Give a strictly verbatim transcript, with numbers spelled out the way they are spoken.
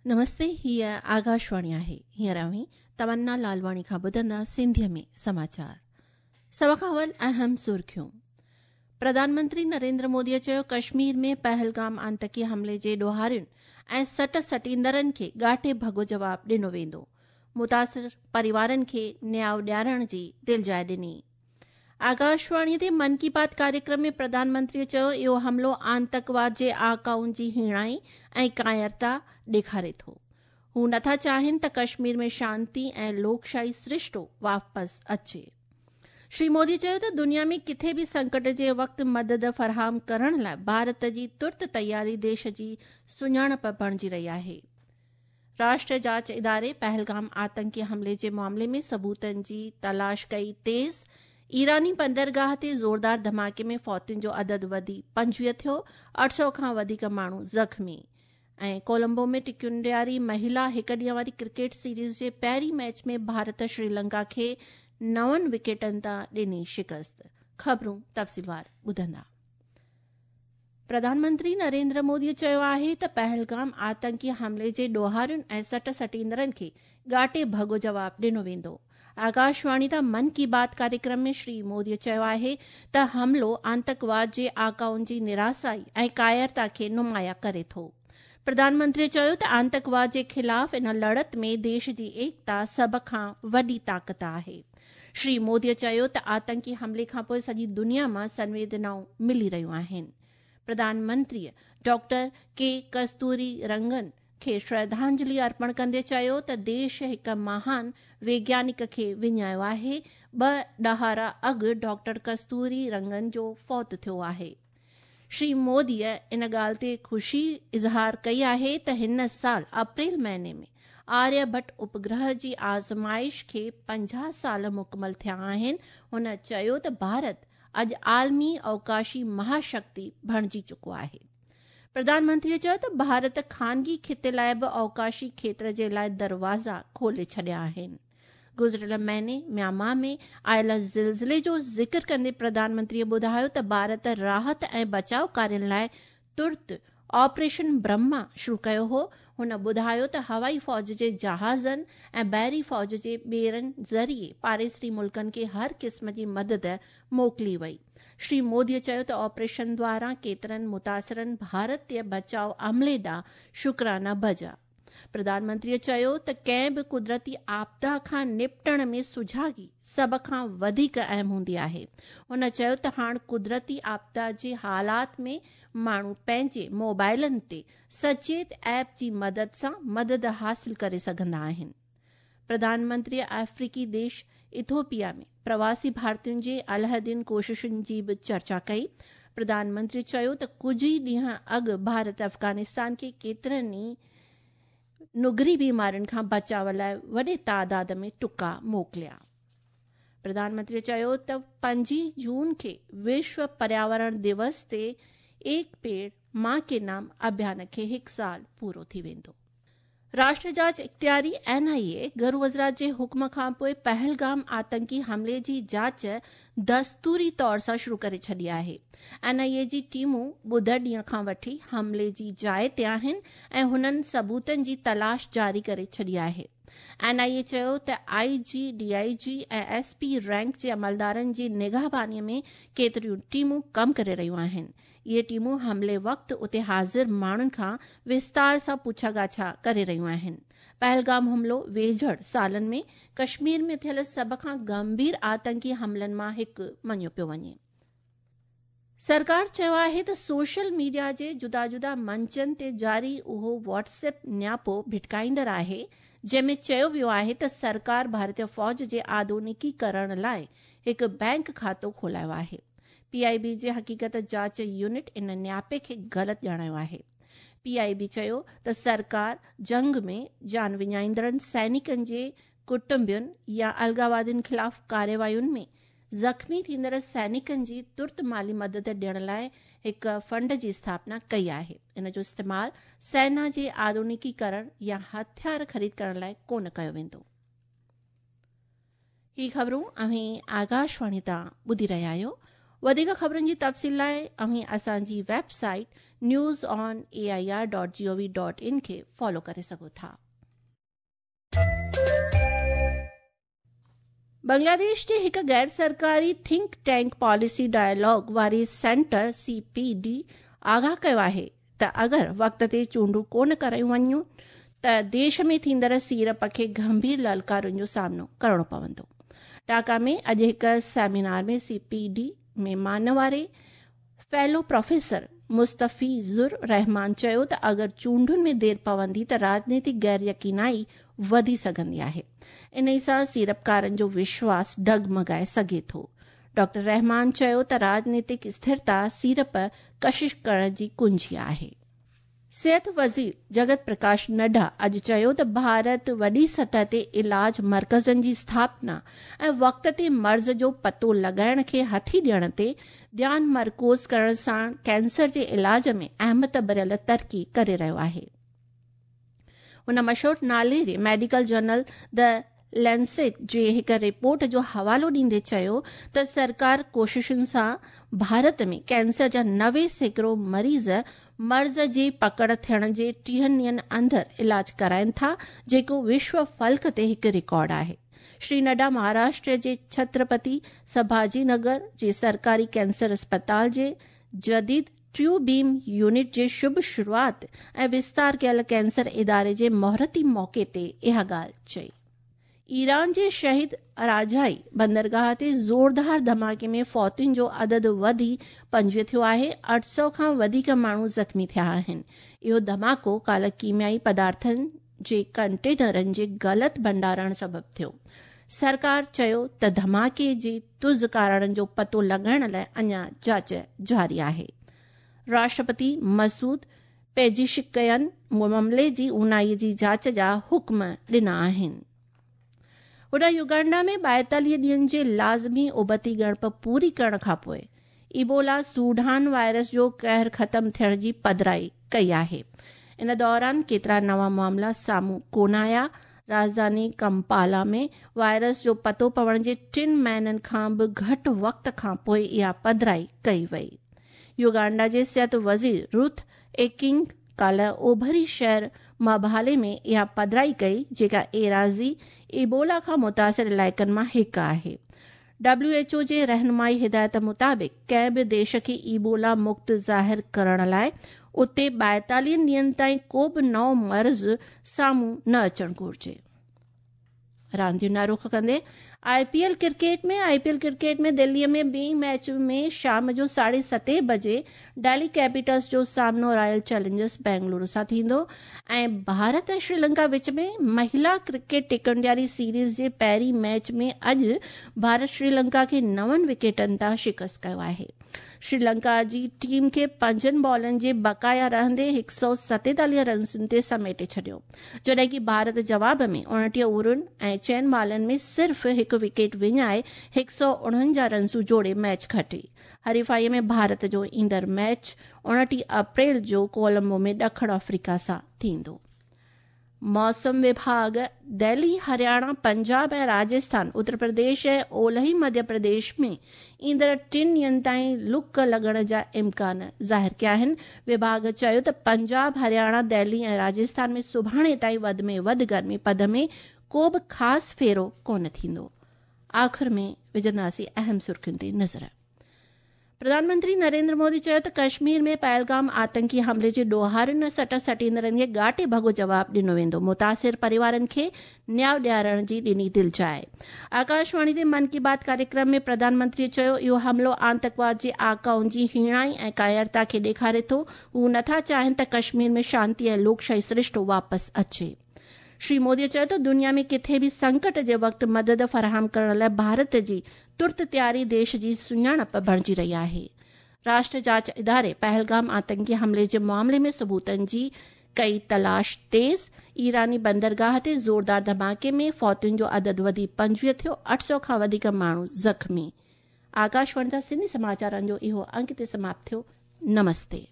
नमस्ते, हीअ आकाशवाणी आहे। हींअर अव्हीं तमन्ना लालवाणी खां ॿुधंदा सिंधीअ में समाचार। सभ खां अवल अहम सुर्खियूं। प्रधानमंत्री नरेंद्र मोदीअ चयो कश्मीर में पहलगाम आतंकी हमले जे ॾोहारियुनि ऐं सट सटींदड़नि खे ॻाटे भॻो जवाब ॾिनो वेंदो। मुतासिर परिवारनि खे न्याउ ॾियारण जी दिलजाइ ॾिनी। आकाशवाणी ते मन की बात कार्यक्रम में प्रधानमंत्रीअ चयो इहो हमलो आतंकवाद जे आकाउनि जी हीणाई ऐं कायरता ॾेखारे थो। हू नथा चाहिनि त कश्मीर में शांति ऐं लोकशाही सृष्टो वापसि अचे। श्री मोदी चयो त दुनिया में किथे बि संकट जे वक़्तु मदद फराहम करण लाइ भारत जी तुर्त तयारी देश जी सुञाणप बणिजी रही आहे। राष्ट्रीय जांच इदारे पहलगाम आतंकी हमले जे मामले में सबूतनि जी तलाश कई तेज़। ईरानी बंदरगाह ते ज़ोरदार धमाके में फौतियुनि जो अदद वधी पंजवीह थियो, अठ सौ खां वधीक माण्हू ज़ख़्मी। ऐं कोलंबो में टिकियुनि ॾियारी महिला हिक ॾींहं वारी क्रिकेट सीरीज़ जे पहिरीं मैच में भारत श्रीलंका खे नवनि विकेटनि तां ॾिनी शिकस्त। ख़बरूं तफ़सीलवार ॿुधंदा। प्रधानमंत्री नरेंद्र मोदीअ चयो आहे त पहलगाम आतंकी हमले जे ॾोहारियुनि ऐं सट सटींदड़नि खे ॻाटे भॻो जवाब ॾिनो वेंदो। आकाशवाणी तां मन की बात कार्यक्रम में श्री मोदीअ चयो आहे त हमलो आतंकवाद जे आकाउनि जी निरासाई ऐं कायरता खे नुमाया करे थो। प्रधानमंत्री चयो त आतंकवाद जे ख़िलाफ़ इन लड़त में देश जी एकता सभ खां वॾी ताक़त आहे। श्री मोदीअ चयो त आतंकी हमले खां पोइ सॼी दुनिया मां संवेदनाऊं मिली रहियूं आहिनि। प्रधानमंत्रीअ डॉक्टर के कस्तूरी रंगन खे श्रद्धांजलि अर्पण कंदे चयो त देश हिक महान वैज्ञानिक खे विञायो आहे। ॿ ॾहाड़ा अॻु डॉक्टर कस्तूरी रंगन जो फौत थियो आहे। श्री मोदीअ इन ॻाल्हि ते ख़ुशी इज़हार कई आहे त हिन साल अप्रैल महीने में आर्यभट्ट उपग्रह जी आज़माइश खे पंजाह साल मुकमल थिया आहिनि। हुन चयो त भारत अॼु आलमी अवकाशी महाशक्ति बणिजी चुको आहे। प्रधानमंत्रीअ चयो त भारत खानगी खिते लाइ बि अवकाशी क्षेत्र जे लाइ दरवाज़ा खोले छॾिया आहिनि। गुज़िरियल महीने म्यांमार में आयल ज़िलज़िले जो ज़िक्र कंदे प्रधानमंत्रीअ ॿुधायो त भारत राहत ऐं बचाव कार्यनि लाइ तुर्त ऑपरेशन ब्रह्मा शुरू कयो हो। हुन ॿुधायो त हवाई फ़ौज जे जहाज़नि ऐं बहरी फ़ौज जे ॿेड़नि ज़रिए पाड़ेसरी मुल्कनि खे हर क़िस्म जी मदद मोकिली वई। श्री मोदीअ चयो त ऑपरेशन द्वारा केतिरनि मुतासिरनि भारतीय बचाव अमले ॾांहुं शुक्राना बजा। प्रधानमंत्रीअ चयो त कंहिं बि कुदरती आपदा खां निपटण में सुझागी सभ खां वधीक अहम हूंदी आहे। हुन चयो त हाणे कुदरती आपदा जे हालात में माण्हू पंहिंजे मोबाइलनि ते सचेत ऐप जी मदद सां मदद हासिल करे सघंदा आहिनि। प्रधानमंत्रीअ अफ्रीकी देश इथोपिया में प्रवासी भारतीयुनि जे अलहदियुनि कोशिशुनि जी बि चर्चा कई। प्रधानमंत्री चयो त कुझु ई ॾींहं अॻु भारत अफ़गानिस्तान खे केतिरनि ई नुगरी बीमारियुनि खां बचाव लाइ वॾे तादाद में टुका मोकिलिया। प्रधानमंत्री चयो त पंजी जून खे विश्व पर्यावरण दिवस ते एक पेड़ मां के नाम अभियान खे हिकु साल पूरो थी वेंदो। राष्ट्रीय जांच इख्तियारी एन आई ए घरू वज़ारत जे हुक्म खां पोइ पहलगाम आतंकी हमले जी जांच दस्तूरी तौर सां शुरू करे छॾी आहे। एन आई ए जी टीमूं ॿुधर ॾींहं खां वठी हमले जी जाइ ते आहिनि ऐं हुननि सबूतनि जी तलाश जारी करे छॾी आहे। एन आई ए चयो त आई जी, डी I जी ऐं एस पी रैंक जे अमलदारनि जी निगाहबानीअ में केतिरियूं टीमूं कमु करे रहियूं आहिनि। इहे टीमूं हमले वक़्तु उते हाज़िर माण्हुनि खां विस्तार सां पुछा ॻाछा करे रहियूं आहिनि। पहलगाम हमलो वेझड़ सालनि में कश्मीर में थियल सभ खां गंभीर आतंकी हमलनि मां हिकु मञियो पियो वञे। सरकार चयो आहे त सोशल मीडिया जे जुदा जुदा मंचनि ते जारी उहो व्हाट्सएप न्यापो भिटकाईंदड़ आहे जंहिंमें चयो वियो आहे त सरकार भारतीय फ़ौज जे आधुनिकीकरण लाइ हिकु बैंक खातो खोलायो आहे। पी I बी जे हक़ीक़त जांच यूनिट इन न्यापे खे ग़लति ॼाणायो आहे। पी I बी चयो त सरकार जंग में जान विञाईंदड़नि सैनिकनि जे कुटुंबियुनि या अलगावादियुनि ख़िलाफ़ कार्यवाहियुनि में ज़ख़्मी थींदड़ सैनिकनि जी तुर्त माली मदद ॾियण लाइ हिकु फंड जी स्थापना कई आहे। इन जो इस्तेमालु सेना जे आधुनिकीकरण या हथियार ख़रीद करण लाइ कोन कयो वेंदो। ही ख़बरूं अव्हीं आकाशवाणी तां ॿुधी रहिया आहियो। वधीक ख़बरुनि जी तफ़सील लाइ अव्हीं असांजी website news on A I R dot G O V dot in खे फॉलो करे सघो था। बांग्लादेश जे हिकु गैर सरकारी थिंक टैंक पॉलिसी डायलॉग वारे सेंटर सी पी डी आगाह कयो आहे त अगरि वक़्त ते चूंडूं कोन करायूं वञनि त देश में थींदड़ सीड़प खे गंभीर ललकारुनि जो सामनो करिणो पवंदो। ढाका में अॼु हिकु सेमिनार में सी पी डी में मानवारे फेलो प्रोफेसर मुस्तफ़ीज़ुर रहमान चयो त अगरि चूंडुनि में देरि पवंदी त राजनीतिक गैर यकीनाई वधी सघंदी आहे। इन सां सीड़पकारनि जो विश्वास डगमगाए सघे थो। डॉक्टर रहमान चयो त राजनीतिक स्थिरता सीड़प कशिश करण जी कुंजी आहे। सेहत वज़ीर जगत प्रकाश नड्डा अॼु चयो त भारत वॾी सतह ते इलाज मर्कज़नि जी स्थापना ऐं वक़्त ते मर्ज़ जो पतो लॻाइण खे हथी ॾियण ते ध्यानु मरकूज़ करण सां कैंसर जे इलाज में अहमियत भरियल तरक़ी करे रहियो आहे। हुन मशहूर नाले जे मेडिकल जर्नल the Lancet जे हिकु रिपोर्ट जो हवालो ॾींदे चयो त सरकार कोशिशुनि सां भारत में कैंसर जा नवे सैकड़ो मरीज़ मर्ज़ जी पकड़ थियण जे टीहनि ॾींहनि अंदरि इलाज कराइनि था, जेको विश्व फलक ते हिकु रिकॉर्ड आहे। श्री नड्डा महाराष्ट्र जे छत्रपति संभाजी नगर जे सरकारी कैंसर अस्पताल जे जदीद ट्रू बीम यूनिट जे शुभ शुरूआत ऐं विस्तार कयल कैंसर इदारे जे मुहूर्ती मौक़े ते इहा ॻाल्हि चई। ईरान जे शहीद राजाई बंदरगाह ते ज़ोरदार धमाके में फौतियुनि जो अदद वधी पंजवीह थियो आहे। अठ सौ खां वधीक माण्हू ज़ख़्मी थिया आहिनि। इहो धमाको काल्ह कीमियाई पदार्थनि जे कंटेनरनि जे ग़लति भंडारण सबबु थियो। सरकार चयो त धमाके जे तुज़ कारणनि जो पतो लॻाइण लाइ अञा जांच जारी आहे। राष्ट्रपति मसूद पेजिशकियन मामले जी ऊनाई जी जांच जा हुक्म ॾिना आहिनि। होॾां युगांडा में ॿाएतालीह ॾींहनि जे लाज़मी उबती ॻणप पूरी करण खां पोइ इबोला सूडान वायरस जो कहर ख़तमु थियण जी पधराई कई आहे। इन दौरान केतिरा नवां मामला साम्हूं कोन आया। राजधानी कंपाला में वायरस जो पतो पवण जे टिनि महीननि खां बि घटि वक़्त खां पोइ इहा पधराई कई वई। युगांडा जे सिहत वज़ीर रुथ एकिंग काल्ह ओभरी शहर माभाले में इहा पधराई कई, जेका एराज़ी इबोला खां मुतासिर इलाइक़नि मां हिकु आहे। डब्ल्यू एच ओ जे रहनुमाई हिदायत मुताबिक़ कंहिं बि देश खे इबोला मुक्त ज़ाहिर करण लाइ उते ॿाएतालीह ॾींहनि ताईं को बि नओं मर्ज़ साम्हूं न अचणु घुरिजे। रांदियुनि ॾांहुं रुख कंदे I P L cricket में I P L cricket में दिल्लीअ में ॿी मैच में शाम जो साढे सते बजे दिल्ली कैपिटल्स जो सामनो रॉयल चैलेंजर्स बेंगलुरु सां थींदो ऐं भारत ऐं श्रीलंका विच में महिला क्रिकेट टिकंडियारी सीरीज़ जे पहिरीं मैच में अॼु भारत श्रीलंका खे नवनि विकेटनि तां शिकस्त कयो आहे। श्रीलंका जी टीम खे पंजनि बॉलनि जे बकाया रहंदे हिकु सौ सतेतालीह रन्सुनि ते समेटे छॾियो, जॾहिं की भारत जवाब में उणिटीह ओवरुनि ऐं चइनि बॉलनि में सिर्फ़ हिकु विकेट विञाए हिकु सौ उणवंजाह रन्सूं जोड़े मैच खटी। हरीफाईअ में भारत जो ईंदड़ मैच उणिटीह अप्रैल जो कोलंबो में ॾखण अफ्रीका सां थींदो। मौसम विभाग दिल्ली, हरियाणा, पंजाब ऐं राजस्थान, उत्तर प्रदेश ऐं ओलही मध्य प्रदेश में ईंदड़ टिनि ॾींहनि ताईं लुक लॻण जा इम्कान ज़ाहिर कया आहिनि। विभाग चयो त पंजाब, हरियाणा, दिल्ली ऐं राजस्थान में सुभाणे ताईं वधि में वधि गर्मी पद में को बि ख़ासि फेरो कोन थींदो। आख़िर में विझंदासीं अहम सुर्खियुनि ते नज़र। प्रधानमंत्री नरेंद्र मोदी चयो त कश्मीर में पहलगाम आतंकी हमले जे ॾोहारियुनि ऐं सट सटींदड़नि खे ॻाटे भॻो जवाबु ॾिनो वेंदो। मुतासिर परिवारनि खे न्याय ॾियारण जी ॾिनी दिलजाए। आकाशवाणी ते मन की बात कार्यक्रम में प्रधानमंत्री चयो इहो हमलो आतंकवाद जे आकाउनि जी हीणाई ऐं कायरता खे ॾेखारे थो। हू नथा चाहिनि त कश्मीर में शांति ऐं लोकशाही सृष्टो वापसि अचे। श्री मोदी चयो त दुनिया में किथे बि संकट जे वक़्तु मदद फराहम करण लाइ भारत जी तुर्त तयारी देश जी सुञाणप बणिजी रही आहे। राष्ट्र जांच इदारे पहलगाम आतंकी हमले जे मामले में सबूतनि जी कई तलाश तेज़। ईरानी बंदरगाह ते ज़ोरदार धमाके में फौतियुनि जो अदद वधी पंजवीह थियो, अठ सौ खां वधीक माण्हू ज़ख़्मी। आकाशवाणी तां सिंधी समाचारनि जो इहो अंक ते समाप्त थियो। नमस्ते।